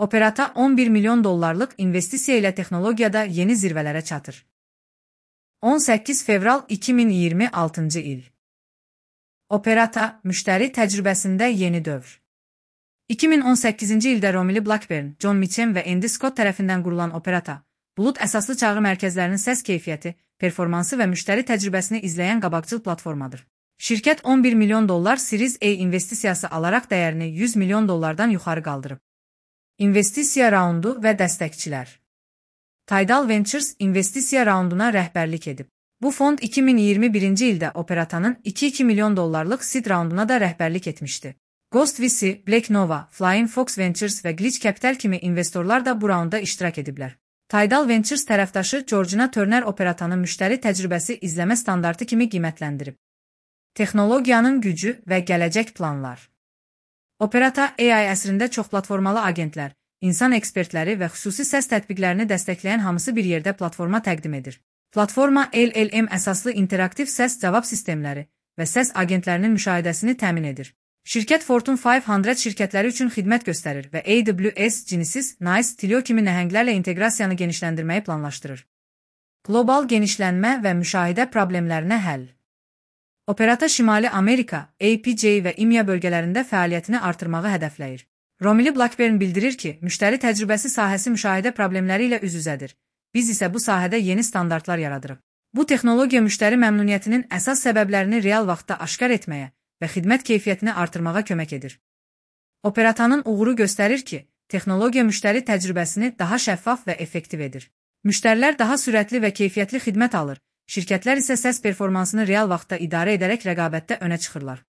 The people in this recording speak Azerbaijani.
Operata 11 milyon dollarlıq investisiya ilə texnologiyada yeni zirvələrə çatır. 18 fevral 2026-cı il. Operata, müştəri təcrübəsində yeni dövr. 2018-ci ildə Romilly Blackburn, John Mitchell və Andy Scott tərəfindən qurulan Operata, bulut əsaslı çağrı mərkəzlərinin səs keyfiyyəti, performansı və müştəri təcrübəsini izləyən qabaqcıl platformadır. Şirkət 11 milyon dollar Series A investisiyası alaraq dəyərini 100 milyon dollardan yuxarı qaldırıb. İnvestisiya raundu və dəstəkçilər. Tidal Ventures investisiya raunduna rəhbərlik edib. Bu fond 2021-ci ildə Operatanın 2,2 milyon dollarlıq seed raunduna da rəhbərlik etmişdi. Ghost VC, Black Nova, Flying Fox Ventures və Glitch Capital kimi investorlar da bu raunda iştirak ediblər. Tidal Ventures tərəfdaşı Georgina Turner Operatanın müştəri təcrübəsi izləmə standartı kimi qiymətləndirib. Texnologiyanın gücü və gələcək planlar. Operata AI əsrində çoxplatformalı agentlər, insan ekspertləri və xüsusi səs tətbiqlərini dəstəkləyən hamısı bir yerdə platforma təqdim edir. Platforma LLM əsaslı interaktiv səs cavab sistemləri və səs agentlərinin müşahidəsini təmin edir. Şirkət Fortune 500 şirkətləri üçün xidmət göstərir və AWS, Genesys, NICE, Twilio kimi nəhənglərlə inteqrasiyanı genişləndirməyi planlaşdırır. Qlobal genişlənmə və müşahidə problemlərinə həll. Operata Şimali Amerika, APJ və İMEA bölgələrində fəaliyyətini artırmağı hədəfləyir. Romilly Blackburn bildirir ki, müştəri təcrübəsi sahəsi müşahidə problemləri ilə üz-üzədir. Biz isə bu sahədə yeni standartlar yaradırıq. Bu texnologiya müştəri məmnuniyyətinin əsas səbəblərini real vaxtda aşkar etməyə və xidmət keyfiyyətini artırmağa kömək edir. Operatanın uğuru göstərir ki, texnologiya müştəri təcrübəsini daha şəffaf və effektiv edir. Müştərilər daha sürətli və keyfiyyətli xidmət alır, şirkətlər isə səs performansını real vaxtda idarə edərək rəqabətdə önə çıxırlar.